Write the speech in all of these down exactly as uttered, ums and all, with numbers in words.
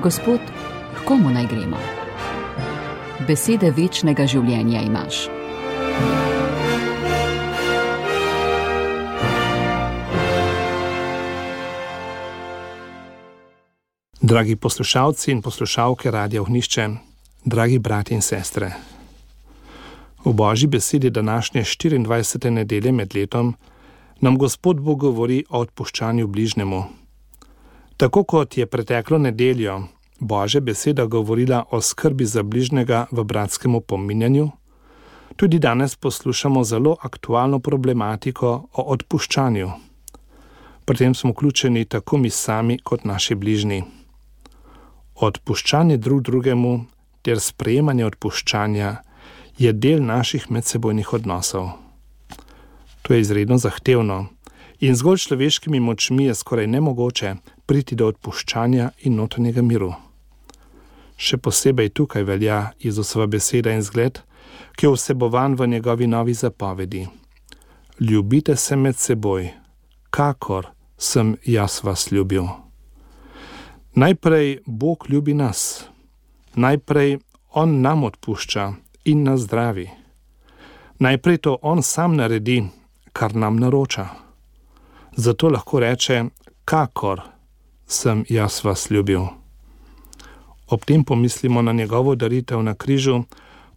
Gospod, k komu naj gremo? Besede večnega življenja imaš. Dragi poslušalci in poslušalke Radia Ognjišče, dragi bratje in sestre. V Božji besedi današnje štiriindvajsete nedelje med letom nam Gospod Bog govori o odpuščanju bližnjemu. Tako kot je preteklo nedeljo Božja beseda govorila o skrbi za bližnjega v bratskem opominjanju, tudi danes poslušamo zelo aktualno problematiko o odpuščanju. Pri tem smo vključeni tako mi sami kot naši bližnji. Odpuščanje drug drugemu ter sprejemanje odpuščanja je del naših medsebojnih odnosov. To je izredno zahtevno in zgolj človeškimi močmi je skoraj nemogoče priti do odpuščanja in notranjega miru. Še posebej tukaj velja Jezusova beseda in zgled, ki je vsebovan v njegovi novi zapovedi. Ljubite se med seboj, kakor sem jaz vas ljubil. Najprej Bog ljubi nas. Najprej On nam odpušča in nas zdravi. Najprej to On sam naredi, kar nam naroča. Zato lahko reče, kakor sem jaz vas ljubil. Ob tem pomislimo na njegovo daritev na križu,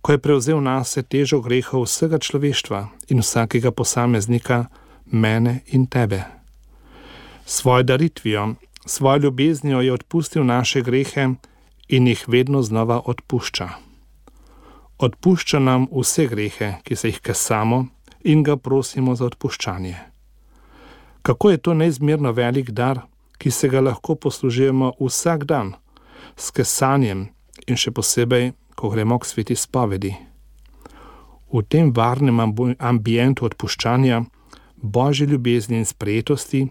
ko je prevzel nase težo grehov vsega človeštva in vsakega posameznika, mene in tebe. Svojo daritvijo, svojo ljubeznijo je odpustil naše grehe in jih vedno znova odpušča. Odpušča nam vse grehe, ki se jih kesamo, in ga prosimo za odpuščanje. Kako je to neizmerno velik dar, ki se ga lahko poslužujemo vsak dan, s kesanjem in še posebej, ko gremo k sveti spovedi. V tem varnem ambientu odpuščanja, Božje ljubezni in sprejetosti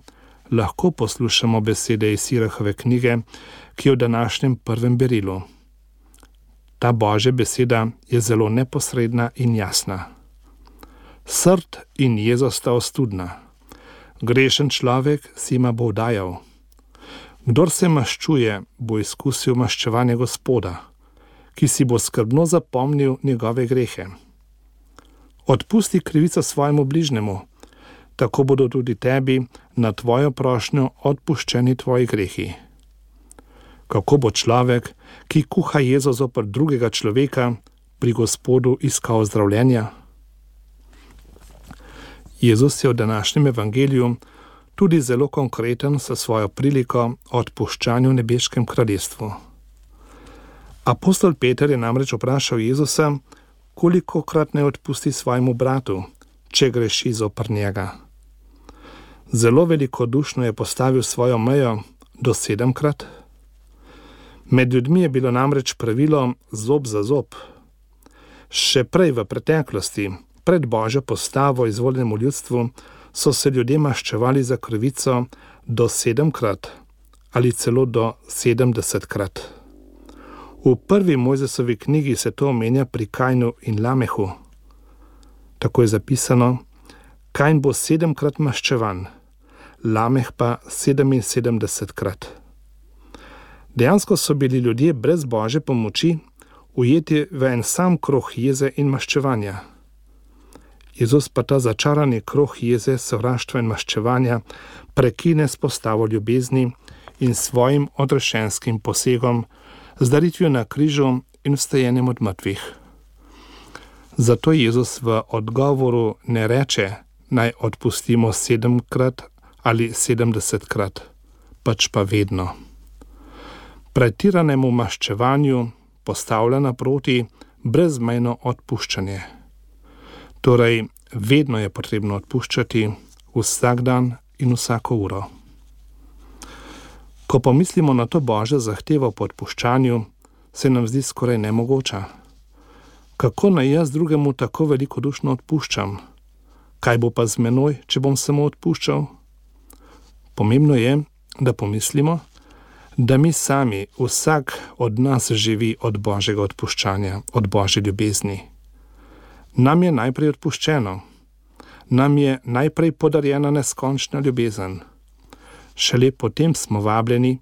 lahko poslušamo besede iz Sirahove knjige, ki je v današnjem prvem berilu. Ta Božja beseda je zelo neposredna in jasna. Srd in jezo sta ostudna. Grešen človek si ima bo dajal. Kdor se maščuje, bo izkusil maščevanje Gospoda, ki si bo skrbno zapomnil njegove grehe. Odpusti krivico svojemu bližnjemu, tako bodo tudi tebi na tvojo prošnjo odpuščeni tvoji grehi. Kako bo človek, ki kuha jezo zoper drugega človeka, pri Gospodu iskal zdravljenja? Jezus je v današnjem evangeliju tudi zelo konkreten sa svojo priliko o odpuščanju v nebeškem kraljestvu. Apostol Peter je namreč vprašal Jezusa, kolikokrat naj odpusti svojemu bratu, če greši zoper njega. Zelo velikodušno je postavil svojo mejo do sedemkrat. Med ljudmi je bilo namreč pravilo zob za zob. Še prej v preteklosti, pred Božjo postavo izvoljenemu ljudstvu, so se ljudje maščevali za krivico do sedemkrat ali celo do sedemdesetkrat. V prvi Mojzesovi knjigi se to omenja pri Kainu in Lamehu. Tako je zapisano, Kain bo sedemkrat maščevan, Lameh pa sedeminsedemdesetkrat. Dejansko so bili ljudje brez Božje pomoči ujeti v en sam krog jeze in maščevanja. Jezus pa ta začarani krog jeze, sovraštva in maščevanja prekine s postavo ljubezni in svojim odrešenskim posegom, z daritvijo na križu in vstajenjem od mrtvih. Zato Jezus v odgovoru ne reče, naj odpustimo sedemkrat ali sedemdesetkrat, pač pa vedno. Pretiranemu maščevanju postavlja naproti brezmejno odpuščanje. Torej, vedno je potrebno odpuščati, vsak dan in vsako uro. Ko pomislimo na to Božjo zahtevo po odpuščanju, se nam zdi skoraj nemogoča. Kako naj jaz drugemu tako velikodušno odpuščam? Kaj bo pa z menoj, če bom samo odpuščal? Pomembno je, da pomislimo, da mi sami, vsak od nas živi od Božjega odpuščanja, od Božje ljubezni. Nam je najprej odpuščeno, nam je najprej podarjena neskončna ljubezen. Šele potem smo vabljeni,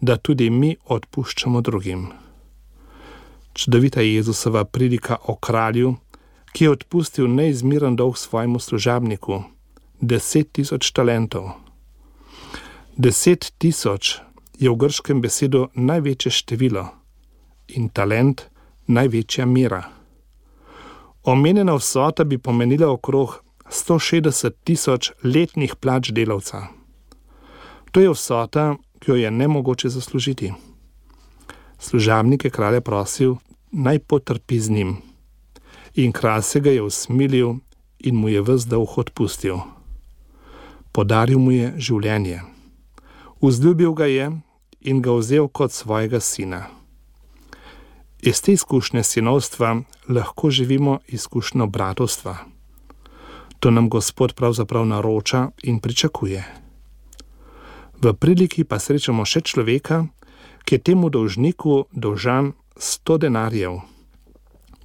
da tudi mi odpuščamo drugim. Čudovita Jezusova prilika o kralju, ki je odpustil neizmeren dolg svojemu služabniku, deset tisoč talentov. Deset tisoč je v grškem besedu največje število in talent največja mera. Omenjena vsota bi pomenila okrog sto šestdeset tisoč letnih plač delavca. To je vsota, ki jo je nemogoče zaslužiti. Služabnik je kralja prosil, naj potrpi z njim. In kralj se ga je usmilil in mu je ves dolg odpustil. Podaril mu je življenje. Vzljubil ga je in ga vzel kot svojega sina. Iz te izkušnje sinovstva lahko živimo izkušnjo bratovstva. To nam Gospod pravzaprav naroča in pričakuje. V priliki pa srečamo še človeka, ki je temu dolžniku dolžan sto denarjev,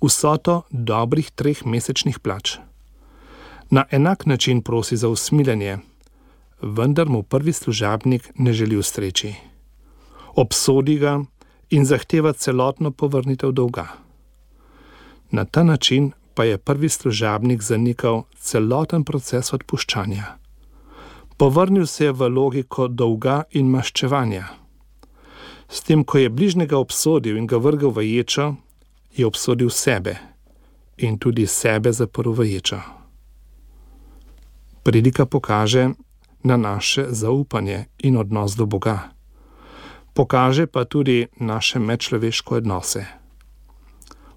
vsoto dobrih treh mesečnih plač. Na enak način prosi za usmiljenje, vendar mu prvi služabnik ne želi ustreči. Obsodi ga in zahteva celotno povrnitev dolga. Na ta način pa je prvi služabnik zanikal celoten proces odpuščanja. Povrnil se je v logiko dolga in maščevanja. S tem, ko je bližnjega obsodil in ga vrgel v ječo, je obsodil sebe in tudi sebe zaprl v ječo. Prilika pokaže na naše zaupanje in odnos do Boga. Pokaže pa tudi naše medčloveške odnose.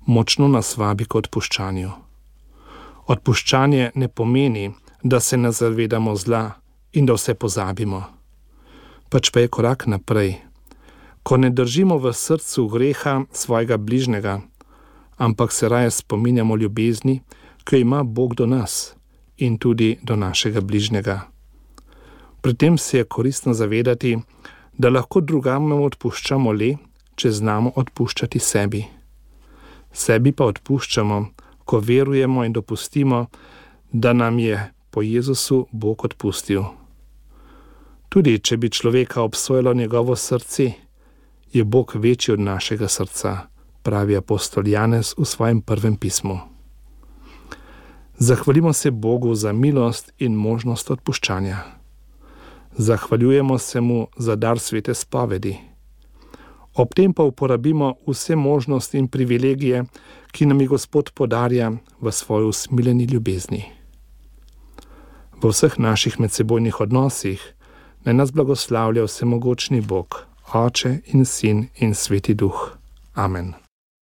Močno nas vabi k odpuščanju. Odpuščanje ne pomeni, da se ne zavedamo zla in da vse pozabimo. Pač pa je korak naprej, ko ne držimo v srcu greha svojega bližnjega, ampak se raje spominjamo ljubezni, ki jo ima Bog do nas in tudi do našega bližnjega. Pri tem se je koristno zavedati, da lahko drugam odpuščamo le, če znamo odpuščati sebi. Sebi pa odpuščamo, ko verujemo in dopustimo, da nam je po Jezusu Bog odpustil. Tudi če bi človeka obsojalo njegovo srce, je Bog večji od našega srca, pravi apostol Janez v svojem prvem pismu. Zahvalimo se Bogu za milost in možnost odpuščanja. Zahvaljujemo se mu za dar svete spovedi. Ob tem pa uporabimo vse možnosti in privilegije, ki nam jih Gospod podarja v svoji usmiljeni ljubezni. V vseh naših medsebojnih odnosih naj nas blagoslavlja vsemogočni Bog, Oče in Sin in Sveti Duh. Amen.